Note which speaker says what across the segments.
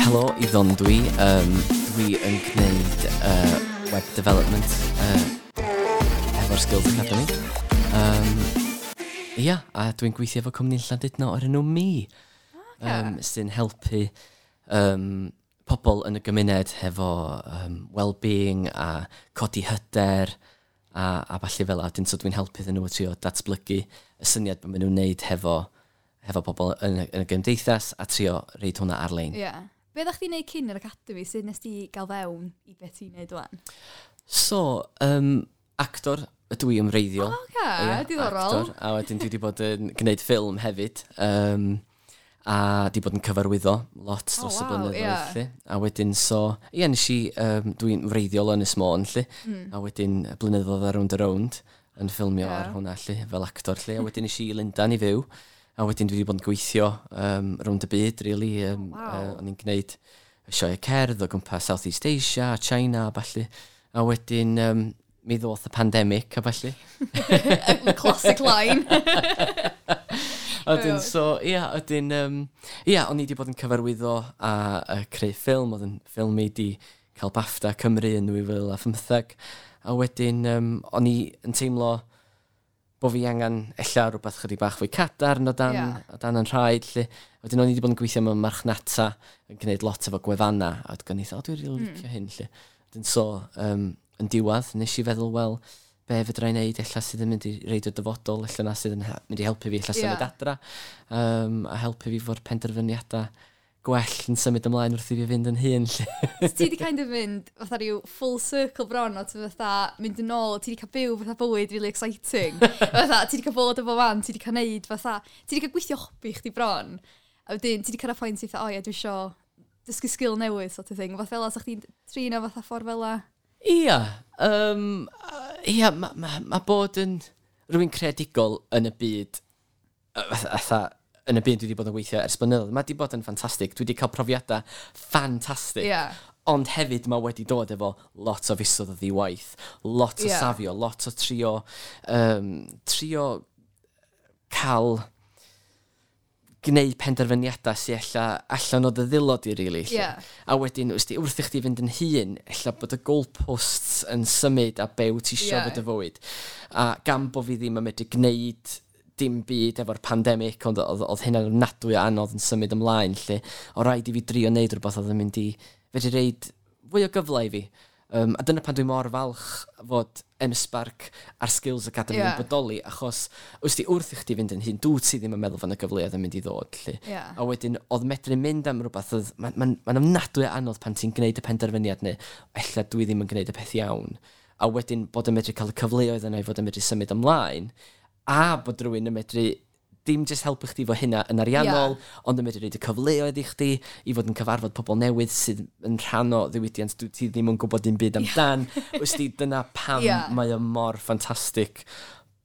Speaker 1: Helo, Iddon dwi. Dwi yn gwneud web development hefo'r Skills Academy. Ia, a dwi'n gweithio efo cwmni Llandudno o'r enw Mi, sy'n helpu pobl yn y gymuned hefo well-being a codi hyder a ballu fel 'a. Wedyn, so dwi'n helpu iddyn nhw trio datblygu y syniad bod maen nhw'n neud hefo pobl yn y gymdeithas a trio roid hwnna ar-lein.
Speaker 2: Ie. Yeah. Be ddech chdi'n neud cyn yr Academy? Sut nes ti gael fewn i beth ti'n neud wan?
Speaker 1: So, actor ydw i yn wreiddiol.
Speaker 2: O, oce,
Speaker 1: Ie,
Speaker 2: diddorol.
Speaker 1: Actor, a wedyn dwi wedi bod yn gwneud ffilm hefyd. A di bod yn cyfarwyddo lot dros y blynyddoedd, lly. A wedyn, so, ie, nes i, dwi'n wreiddiol o Ynys Môn, lly. A wedyn, blynyddoedd ar Rownd a Rownd yn ffilmio ar hwnna, lly, fel actor, lly. A wedyn nes i i Lundain i fyw. A wedyn dwi wedi bod yn gweithio rownd y byd, really. O'n i'n gwneud y sioe cerdd o gwmpas Southeast Asia, China a ballu. A wedyn mi ddoth y pandemic a ballu.
Speaker 2: Classic line.
Speaker 1: A wedyn, so, ia, wedyn, ia, o'n i wedi bod yn cyfarwyddo a creu ffilm, oedd yn ffilm i di cael BAFTA Cymru yn 2015. A wedyn, o'n i yn teimlo bod fi angen ella rhywbeth chydig bach fwy cadarn o dan, o dan yn rhaid, lly. Wedyn o'n i wedi bod yn gweithio mewn marchnata, yn gwneud lot efo gwefanna, a wedyn o'n i, "O, dwi'n rili licio hyn," lly. Wedyn so, yn diwedd, nes i feddwl, wel, be fedra i wneud, ella sydd yn mynd i roid y dyfodol, ella na sydd yn mynd i helpu fi, ella symud adra, a helpu fi fo'r penderfyniadau gwell yn symud ymlaen wrth i fi fynd yn hŷn, lly.
Speaker 2: So ti di kind of mynd fatha rhyw full circle bron o ti fatha mynd yn ôl, ti di cael byw fatha bywyd really exciting. Fatha, ti di cael bod efo fan, ti di cael neud fatha, ti di cael gweithio hobi chdi bron. A wedyn, ti di cyrraedd pwynt i fatha, "O ie, dwi isio dysgu sgil newydd," sort of thing. Fatha fel 'sa chdi'n trin o fatha ffordd fel 'a?
Speaker 1: Ia, ia, mae ma, ma bod yn rhywun creadigol yn y byd, fatha, yn y byd dwi wedi bod yn gweithio ers blynyddoedd, mae wedi bod yn ffantastig. Dwi wedi cael profiadau ffantastig. Ond hefyd mae wedi dod efo lot o fisoedd o ddiwaith, lot o safio, lot o trio cael gwneud penderfyniadau sy'n ella allan o dy ddwylo di, really, lle. A wedyn, wrth wrth i chdi fynd yn hŷn, ella bod y goalposts yn symud a be wyt ti isio fod y fywyd. A gan bo fi ddim yn medru gwneud dim byd efo'r pandemig, ond oedd hynna'n ofnadwy o anodd yn symud ymlaen, lle o rhaid i fi drio wneud rhywbeth oedd yn mynd i fedru roid fwy o gyfle i fi. A dyna pan dwi mor falch fod M-Sparc a'r Skills Academy yn bodoli, achos wrth i wrth i chdi fynd yn hŷn, dwi ti ddim yn meddwl fan y gyfleoedd yn mynd i ddod. Lly. A wedyn, oedd medru mynd am rhywbeth, oedd, mae'n ma ofnadwy o anodd pan ti'n gwneud y penderfyniad neu ella dwi ddim yn gwneud y peth iawn. A wedyn bod yn medru cael y cyfleoedd yna i fod yn medru symud ymlaen, a bod rhywun yn medru dim jyst helpu chdi fo hynna yn ariannol, ond yn medru roid y cyfleoedd i chdi i fod yn cyfarfod pobl newydd sydd yn rhan o ddiwydiant dwi ti ddim yn gwybod dim byd amdan. Wsti, dyna pam mae o mor ffantastig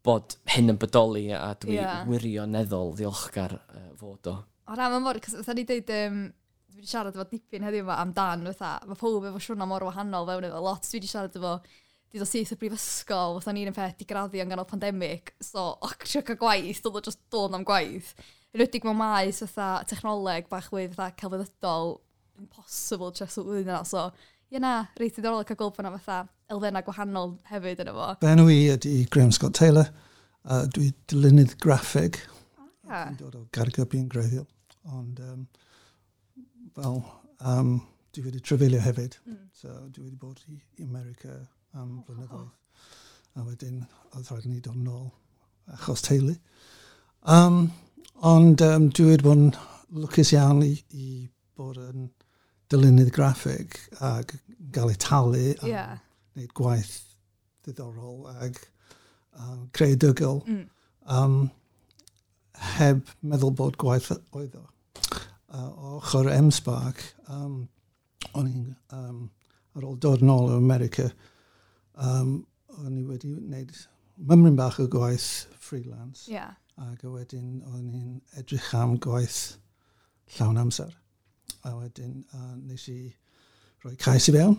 Speaker 1: bod hyn yn bodoli a dwi wirioneddol ddiolchgar fod o.
Speaker 2: O na, mae'n mor, cos fatha ni dweud, dwi wedi siarad efo dipyn heddiw yma amdan, fatha, mae pob efo siwrna mor wahanol fewn efo lot. Dwi wedi siarad efo, di dod syth o brifysgol, fatha ni'n un peth, di graddio yn ganol pandemig, so, o, trio cael gwaith, doedd o just dod am gwaith. Yn enwedig mewn maes fatha technoleg bach fwy fatha celfyddydol, impossible trio swydd yna, so, ie na, reit diddorol cael gweld bod yna fatha elfennau gwahanol hefyd yna fo.
Speaker 3: Fy enw i ydy Graham Scott Taylor. Dwi dylunydd graffig. Dwi'n dod o Gaergybi yn gwreiddiol. Ond, fel, dwi wedi trafeilio hefyd. So, dwi wedi bod i America am blynyddoedd. A wedyn, oedd rhaid i ni dod nôl achos teulu. Ond dwi wedi bod yn lwcus iawn i bod yn dylunydd graffig ac gael ei talu a wneud gwaith diddorol ac creadigol heb meddwl bod gwaith oedd o. O ochr M-Sparc, o'n i'n, ar ôl dod nôl o America, o'n i wedi wneud mymryn bach o gwaith freelance. Ac a wedyn o'n i'n edrych am gwaith llawn amser. A wedyn nes i rhoi cais i fewn.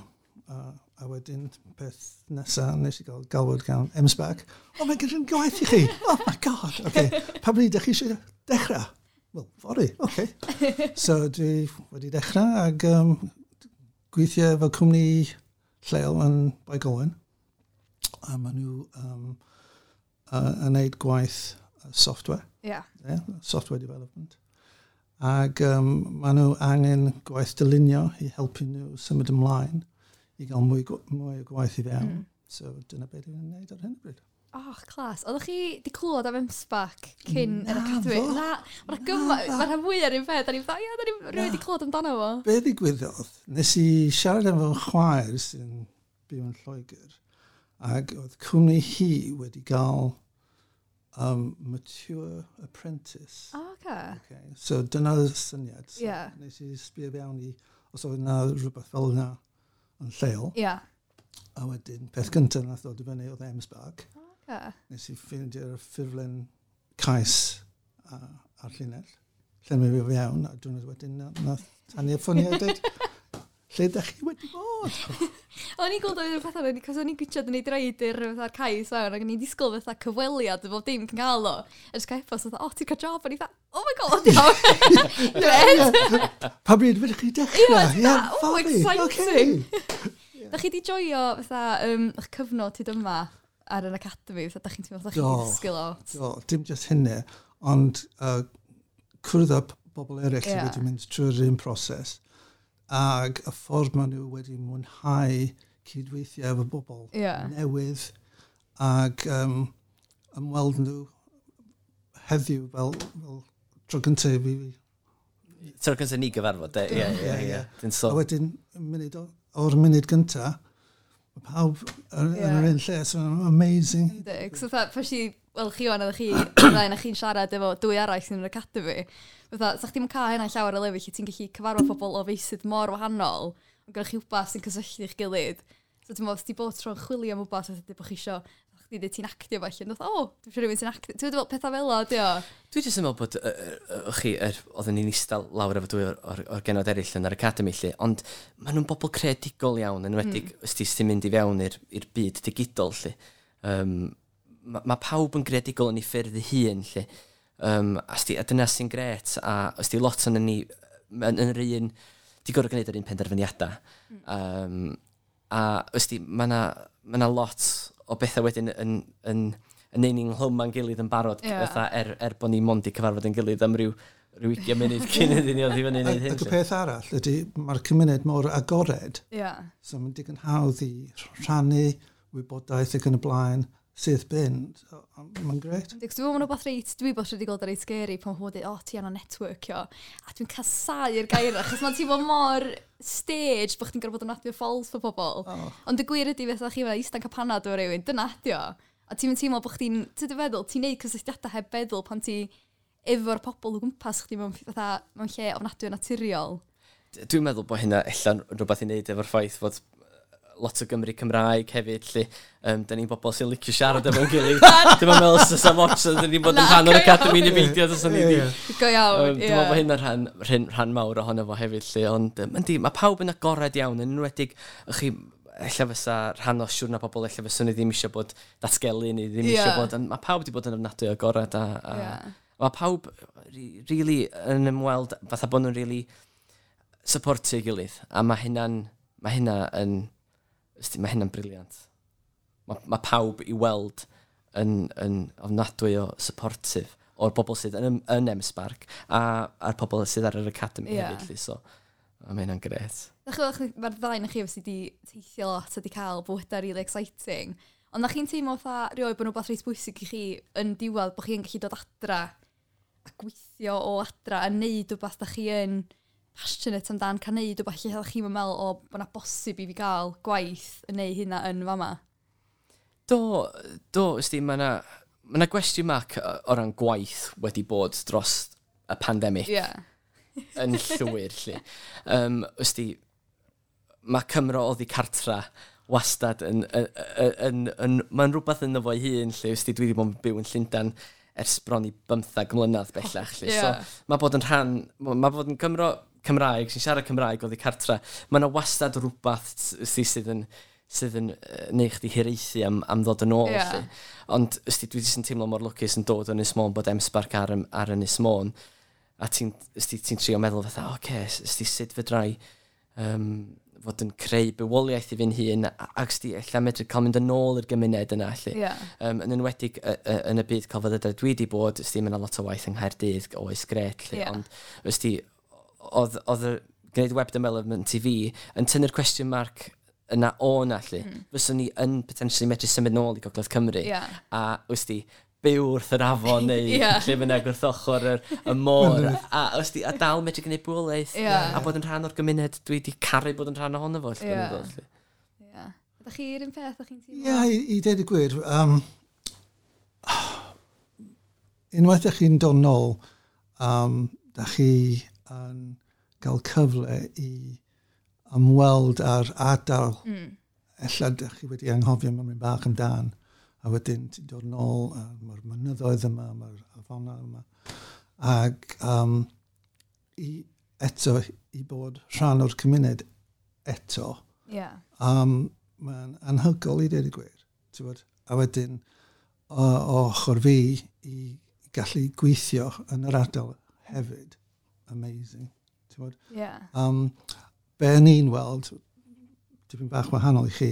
Speaker 3: A wedyn peth nesaf nes i gael galwad gan M-Sparc. "O, mae gyda'n gwaith i chi. Oh my God. Okay. Pa bryd ydych chi eisiau dechrau?" Wel, fory, oce. Okay. So dwi wedi dechrau ag gweithio efo cwmni lleol yn Bae Colwyn. A maen nhw yn neud gwaith software. Yeah, software development. Ac maen nhw angen gwaith dylunio i helpu nhw symud ymlaen i gael mwy o gwaith i fewn. So dyna beth dwi'n gwneud ar hyn o bryd.
Speaker 2: Oh, class. Oeddech chi di clywed am M-SParc cyn yr academy? Na, mae'r gyma, mae'r rhan fwy ar un peth. Da ni'n fatha, ia, da ni'n rhywun wedi clywed amdano fo.
Speaker 3: Be ddigwyddodd, nes i siarad efo chwaer sy'n byw yn Lloegr, ac oedd cwmni hi wedi gael mature apprentice.
Speaker 2: Oh, okay.
Speaker 3: Okay. So dyna'r syniad. So nes i sbio fewn i os oedd yna rhywbeth fel yna yn lleol. A wedyn, peth gyntaf nath ddod i fyny oedd M-SParc. Nes i ffeindio'r ffurflen cais ar llinell. Llenwi fi fewn, a diwrnod wedyn nath Tania ffonio a dweud, "Lle ydych chi wedi bod?"
Speaker 2: O'n i'n gweld oedd y pethau, cos o'n i'n gwybod yn ei dreid i'r fatha'r cais fewn, ac o'n i'n disgwyl fatha cyfweliad o bob dim cyn cael o. A jyst cael e-bost fatha, "Oh, ti'n cael job?" O'n i fatha, "Oh my God, iawn. Gret."
Speaker 3: "Pa bryd fydych chi dechrau?"
Speaker 2: Ie,
Speaker 3: Ie,
Speaker 2: oh,
Speaker 3: fory,
Speaker 2: exciting.
Speaker 3: ocê.
Speaker 2: Da chi di joio fatha eich cyfnod hyd yma ar yr academy, fatha da chi'n teimlo fatha chi
Speaker 3: Do.
Speaker 2: di dysgu lot?
Speaker 3: Do, dim just hynny, ond cwrdd â bobl eraill sydd wedi mynd trwy'r un proses, ac y ffordd maen nhw wedi mwynhau cydweithio efo bobl newydd, ac ymweld nhw heddiw fel tro gyntaf i fi.
Speaker 1: Tro gyntaf ni gyfarfod, de? Ie, ie, ie. Dyn
Speaker 3: A
Speaker 1: so.
Speaker 3: wedyn, o'r munud gyntaf, mae pawb yn yr un lle, so amazing.
Speaker 2: Yndi. So fatha, pa si, wel chi wan, oeddech chi, ddau na chi'n siarad efo dwy arall sy'n yr academy. Fatha, sa chdi'm yn cael hynna llawer o lefydd lle ti'n gallu cyfarfod pobl o feysydd mor wahanol, ond gyda chi wbath sy'n cysylltu eich gilydd. So ti'n meddwl, os ti bod tro'n chwilio am wbath, fatha bod chi isio, chdi dweud ti'n actio falle, ond fatha, "O, dwi'n siŵr rhywun sy'n actio." Ti'n meddwl, pethau fel o, di o?
Speaker 1: Dwi jyst yn meddwl bod, chi, oedden ni'n eistedd lawr efo dwy o'r genod eraill yn yr academy lle, ond maen nhw'n bobl creadigol iawn, yn enwedig os ti sy'n mynd i fewn i'r byd digidol lle. Ma pawb yn greadigol yn ei ffyrdd ei hun lle. A dyna sy'n gret, a os di lot o'n ni yn yr un, di gorfod gwneud yr un penderfyniadau. A os di, mae na, ma 'na lot o bethau wedyn yn neud ni'n nghlwm â'n gilydd yn barod, fatha er bod ni mond i cyfarfod yn gilydd am ryw 20 munud cyn iddyn ni oedd i fyny i wneud hyn.
Speaker 3: Ac y
Speaker 1: 'lly.
Speaker 3: peth arall ydy, mae'r cymuned mor agored, so mae'n digon hawdd i rhannu wybodaeth ac yn y blaen, sydd bin. So, mae'n gret.
Speaker 2: Yndi, 'cos dwi'n meddwl mae'n rhywbeth reit, dwi bod wedi gweld reit scary pan mae'n dweud, "O, ti angen networkio." A dwi'n casau'r gair, achos mae'n teimlo mor stage bod chdi'n gorfod bod yn admio false fo pobl.
Speaker 3: Oh.
Speaker 2: Ond y gwir ydy fatha chi fel eistedd cael panad o rywun, dyna ydi o. A ti'n mynd teimlo bod chdi'n, ti'n dy feddwl, ti'n neud cysylltiadau heb feddwl pan ti efo'r pobl o gwmpas chdi mewn, fatha, mewn lle ofnadwy o naturiol.
Speaker 1: Dwi'n meddwl bod hynna ella'n rhywbeth i wneud efo'r ffaith fod lot o Gymru Cymraeg hefyd, lle da ni'n bobl sy'n licio siarad efo'n gilydd. Dwi'n meddwl os oes am ots, ydyn ni'n bod yn
Speaker 2: Na,
Speaker 1: rhan o'r
Speaker 2: go iawn.
Speaker 1: academy neu beidio, os o'n i di.
Speaker 2: Go iawn,
Speaker 1: Dwi'n meddwl bod hynna'n rhan mawr ohono fo hefyd, lle, ond yndi, mae pawb yn agored iawn, yn enwedig, chi, ella fysa rhan o siwrna pobl, ella fysa ni ddim eisiau bod datgelu, neu ddim eisiau bod, ond mae pawb wedi bod yn ofnadwy o agored, a mae pawb really yn ymweld, fatha bod nhw'n really supportio ei gilydd, a mae hynna'n brilliant. Mae pawb i weld yn ofnadwy o supportive o'r bobl sydd yn M-SParc a'r pobl sydd ar yr academy hefyd, lly, so a mae hynna'n gret.
Speaker 2: Mae'r ddau na chi obviously di teithio lot a di cael bywydau really exciting. Ond na chi'n teimlo fatha rioed bod nhw'n reit bwysig i chi yn diwedd bod chi'n gallu dod adra a gweithio o adra a neud rhywbeth da chi yn passionate amdan, cael neud rhywbeth lle chi'n meddwl o bod na bosib i fi gael gwaith yn neud hynna yn fama?
Speaker 1: Do, ysdi, mae yna ma gwestiwn mark o ran gwaith wedi bod dros y pandemig yn llwyr, lle. Ysdi, mae Cymro oddi cartra wastad yn mae'n rhywbeth ynddo fo'i hun, lle. Ysdi, dwi wedi bod yn byw yn Llundain ers bron i 15 mlynedd bellach, lle. So, mae bod yn Cymro Cymraeg, sy'n siarad Cymraeg oddi cartra, mae yna wastad rhywbeth ysdi, sydd yn neud chdi hiraethu am ddod yn ôl. Lle. Ond ysdi, dwi jyst yn teimlo mor lwcus yn dod o Ynys Môn bod M-SParc ar Ynys Môn. A ti'n ti trio meddwl fatha, oce, okay, sut fedrai fod yn creu bywoliaeth i fi'n hun, ac sti ella medru cael mynd yn ôl i'r gymuned yna, lle.
Speaker 2: Yeah.
Speaker 1: Yn enwedig yn y byd celfyddydau dwi wedi bod, sti, mae yna lot o waith yng Nghaerdydd, oes gret, lle, ond sti, oedd y gwneud web development i fi yn tynnu'r question mark yna o na, lle. Fyswn ni yn potentially medru symud nôl i Gogledd Cymru. A, wsti, byw wrth yr afon neu lle bynnag wrth ochr y môr. A, wsti, a dal medru gwneud bywoliaeth a bod yn rhan o'r gymuned dwi wedi caru bod yn rhan ohono fo.
Speaker 2: Ie. Ydych chi'r un peth, ydych chi'n
Speaker 3: teimlo? Ie, i dweud y gwir, unwaith ydych chi'n dod nôl, dych chi yn cael cyfle i ymweld â'r ardal. Ella dych chi wedi anghofio mewn bach amdan. A wedyn ti'n dod nôl, mae'r mynyddoedd yma, mae'r afona yma. Ac eto, i bod rhan o'r cymuned eto, mae'n anhygoel i dweud y gwir. Ti'n A wedyn, o ochr fi, i gallu gweithio yn yr ardal hefyd. Amazing. Ti'n
Speaker 2: Yeah.
Speaker 3: Be ni'n weld, dipyn bach wahanol i chi,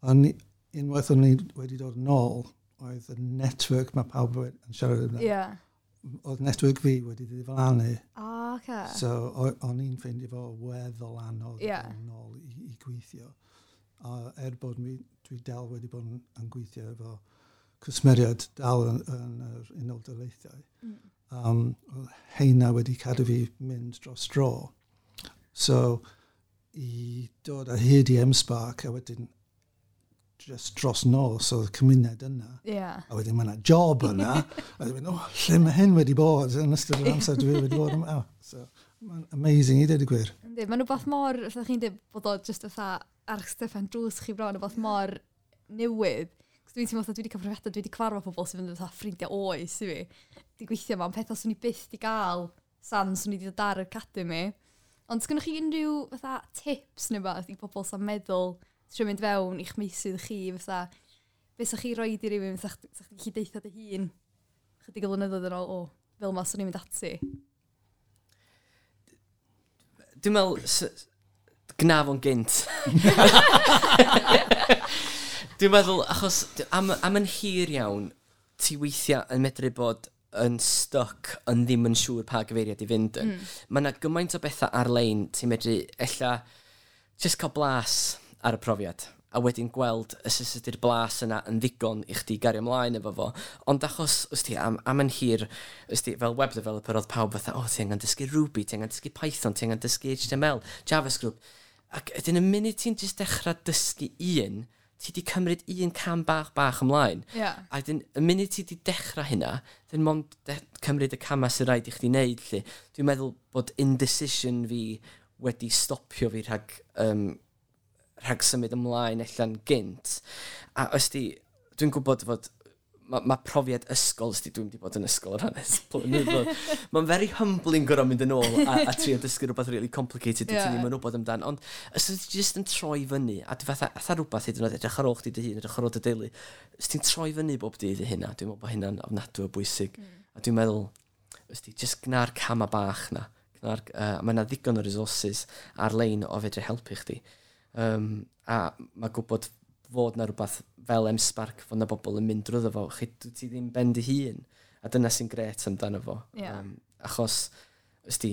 Speaker 3: ond unwaith o'n ni wedi dod yn ôl, oedd y network mae pawb yn siarad amdano. Oedd network fi wedi ddiflannu.
Speaker 2: Oh, okay.
Speaker 3: So o'n i'n ffeindio fo weddol anodd yn ôl i gweithio. A bod dwi dal wedi bod yn gweithio efo cwsmeriaid dal yn yr Unol Daleithiau. Heina wedi cadw fi mynd dros dro. So, i dod o hyd i M-SParc a wedyn just dros nos oedd y cymuned yna.
Speaker 2: Yeah.
Speaker 3: A wedyn mae yna job yna. A wedyn, oh, lle mae hyn wedi bod yn ystod yr amser dwi wedi bod yma. So, mae'n amazing i dweud y gwir.
Speaker 2: Yndi, mae'n rhywbeth mor, fatha chi'n dweud bod o just fatha ar stepan drws chi bron, rhywbeth mor newydd. Cos dwi'n teimlo fatha dwi wedi cael profiadau, dwi wedi cyfarfod pobl sydd yn fatha ffrindiau oes i fi. Di gweithio yma, ond pethau swn i byth di gael san swn i wedi dod ar yr academy. Ond sgynnoch chi unrhyw fatha tips neu beth i bobl sy'n meddwl trio mynd fewn i'ch meysydd chi, fatha, beth sa'ch chi roed i rywun, sa'ch chi'n gallu deitha dy hun chydig o flynyddoedd yn ôl, o, fel ma swn i'n mynd ati?
Speaker 1: Dwi'n meddwl, gna fo'n gynt. Dwi'n meddwl, achos am yn hir iawn, ti weithiau yn medru bod yn stuck, yn ddim yn siŵr pa gyfeiriad i fynd yn. Mae yna gymaint o bethau ar-lein ti'n medru ella just cael blas ar y profiad, a wedyn gweld os ydy'r blas yna yn ddigon i chdi gario ymlaen efo fo. Ond achos, ysdi, am yn hir, ysdi, fel web developer oedd pawb fatha, o, ti angen dysgu Ruby, ti angen dysgu Python, ti angen dysgu HTML, JavaScript. Ac ydyn y munud ti'n just dechrau dysgu un, ti di cymryd un cam bach bach ymlaen.
Speaker 2: Yeah.
Speaker 1: A wedyn, y munud ti di dechrau hynna, dyn mond cymryd y camau sy'n rhaid i chdi wneud. Lle. Dwi'n meddwl bod indecision fi wedi stopio fi rhag symud ymlaen allan gynt. A ysdi, dwi'n gwybod fod mae profiad ysgol, ysdi, dwi'n wedi bod yn ysgol yr hanes blynyddoedd. Mae'n very humbling gorfod mynd yn ôl a trio dysgu rhywbeth really complicated yeah. Ti'n ddim yn wybod amdan. Ond os ti just yn troi fyny, a fatha rhywbeth hyd yn oed edrych ar ôl chdi dy hun, edrych ar ôl dy deulu, os ti'n troi fyny bob dydd i hynna, dwi'n meddwl bod hynna'n ofnadwy o bwysig. A dwi'n meddwl, ysdi, just gna'r cama bach na. Mae yna ddigon o resources ar-lein o fedru helpu chdi. A mae gwybod fod na rhywbeth fel M-SParc, fod na bobl yn mynd drwyddo fo, chi, ti ddim ben dy hun. A dyna sy'n gret amdano fo.
Speaker 2: Yeah.
Speaker 1: Achos, ysdi,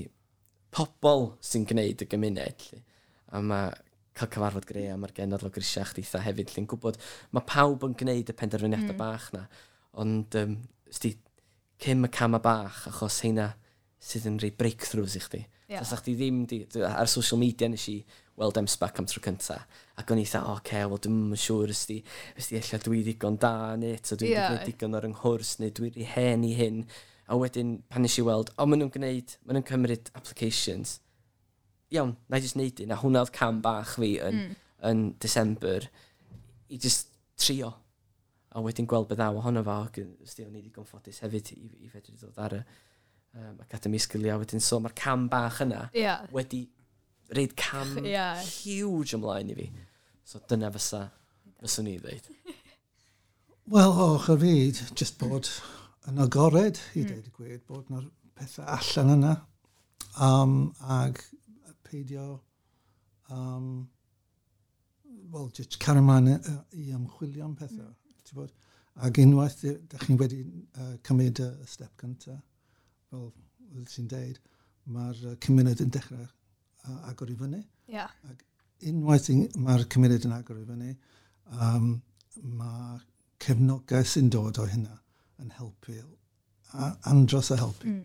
Speaker 1: pobl sy'n gwneud y gymuned. Lly. A mae cael cyfarfod greu a mae'r genod lawr grisiau chdi eitha hefyd. Lle'n gwybod, mae pawb yn gwneud y penderfyniadau bach na. Ond, ysdi, cym y camau bach, achos heina sydd yn rhoi breakthroughs i chdi.
Speaker 2: Yeah.
Speaker 1: Os chdi ddim, ar social media nes i weld M-SParc am tro cynta. Ac o'n i eitha, oce, wel dwi'm yn siŵr ysdi ella dwi ddigon da yn it, o dwi'n gwneud digon o'r nghwrs, neu dwi'n rhy hen i hyn. A wedyn, pan nes i weld, o, maen nhw'n cymryd applications. Iawn, na i just neud un. A hwnna oedd cam bach fi yn December, i just trio. A wedyn gweld beth ddaw ohono fo, ac ysdi o'n i ddigon ffodus hefyd i fedru dod ar y Academy Sgiliau wedyn. So mae'r cam bach yna wedi reid cam huge ymlaen i fi. So dyna fyswn i ddeud.
Speaker 3: Wel, o, ochr fi, just bod yn agored i dweud y gwir, bod pethau allan yna ag peidio wel, just cario ymlaen i ymchwilio am pethau. Ti'n Ac unwaith ydych chi'n wedi cymryd y step cyntaf, fel ti'n deud, mae'r cymuned yn dechrau agor i fyny. Ac unwaith mae'r cymuned yn agor i fyny, mae cefnogaeth sy'n dod o hynna yn helpu, andros o helpu.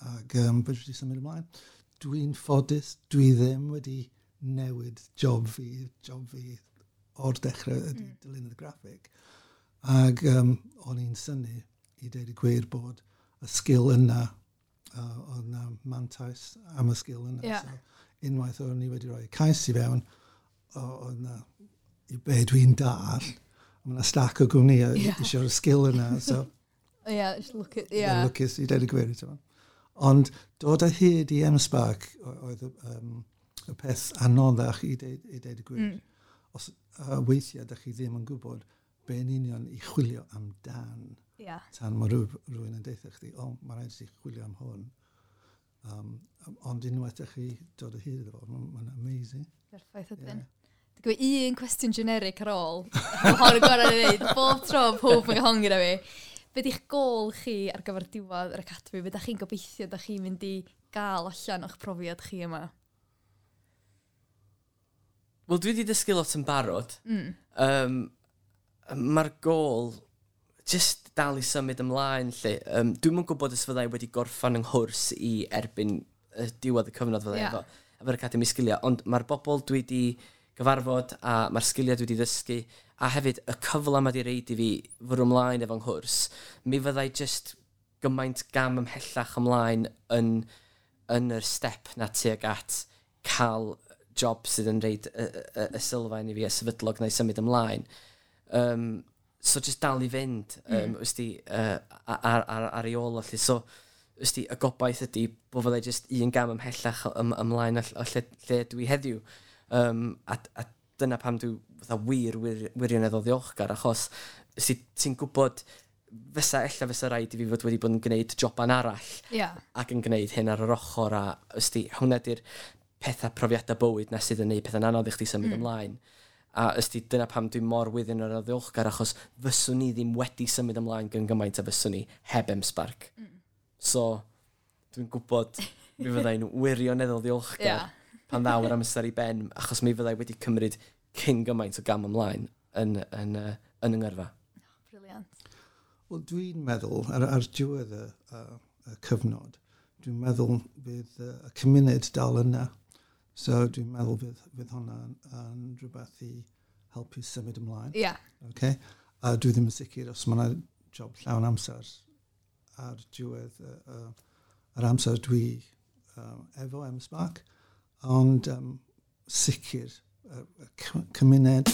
Speaker 3: Ac fedri di symud ymlaen. Dwi'n ffodus, dwi ddim wedi newid job fi o'r dechrau ydy dylunydd graffig. Ac o'n i'n synnu i deud y gwir bod y sgil yna, oedd yna mantais am y sgil yna. So, unwaith o'n i wedi rhoi cais i fewn, oedd yna, i be dwi'n dall, mae yna stack o gwmnïau eisiau'r sgil yna. So,
Speaker 2: Yeah, just look at,
Speaker 3: yeah. Lwcus i deud y gwir. Ti'n Ond dod o hyd i M-Sparc oedd y peth anoddach i deud y gwir. Os weithiau ydych chi ddim yn gwybod be yn union i chwilio amdan. Tan mae rhywun yn deutha chdi, "O, mae rhaid i ti chwilio am hwn." Ond unwaith ydych chi dod o hyd iddo fo, mae'n ma amazing.
Speaker 2: Perffaith ydyn. Yeah. Dwi'n gwybod un cwestiwn generic ar ôl. Mae hon yn gorau i ddweud. Bob tro pob yn gael gyda fi. Be di'ch gôl chi ar gyfer diwedd yr academy? Be da chi'n gobeithio da chi'n mynd i gael allan o'ch profiad chi yma?
Speaker 1: Wel, dwi wedi dysgu lot yn barod. Mae'r gôl just dal i symud ymlaen, lle. Dwi'm yn gwybod os fyddai wedi gorffan yng nghwrs i erbyn y diwedd y cyfnod fyddai efo'r Academy Sgiliau, ond mae'r bobl dwi wedi gyfarfod a mae'r sgiliau dwi wedi ddysgu a hefyd y cyfle mae wedi reid i fi fwrw ymlaen efo'n nghwrs, mi fyddai just gymaint gam ymhellach ymlaen yn yr step na tuag at cael job sydd yn reid y sylfaen i fi a sefydlog na i symud ymlaen. So just dal i fynd, wsti, ar ei ôl o lle. So, wsti, y gobaith ydy bod fyddai just un gam ymhellach ymlaen o lle dwi heddiw. A dyna pam dwi fatha wir, wirioneddol ddiolchgar, achos wsti, ti'n gwybod fysa, ella fysa rhaid i fi fod wedi bod yn gwneud joban arall ac yn gwneud hyn ar yr ochr a wsti, hwnna di'r pethau profiadau bywyd na sydd yn neud pethau'n anodd i chdi symud ymlaen. A ysdi, dyna pam dwi'n mor wirioneddol ddiolchgar, achos fyswn ni ddim wedi symud ymlaen gyn gymaint a fyswn ni heb M-Sparc. So, dwi'n gwybod mi fyddai'n wirioneddol ddiolchgar pan ddaw yr amser i ben, achos mi fyddai wedi cymryd cyn gymaint o gam ymlaen yn yng ngyrfa.
Speaker 2: Brilliant.
Speaker 3: Wel, dwi'n meddwl, ar diwedd y cyfnod, dwi'n meddwl fydd y cymuned dal yna. So dwi'n meddwl fydd hwnna yn rhywbeth i helpu symud ymlaen. Okay? A dwi ddim yn sicr os mae yna job llawn amser ar diwedd yr amser dwi efo M-Sparc, ond sicr y cymuned.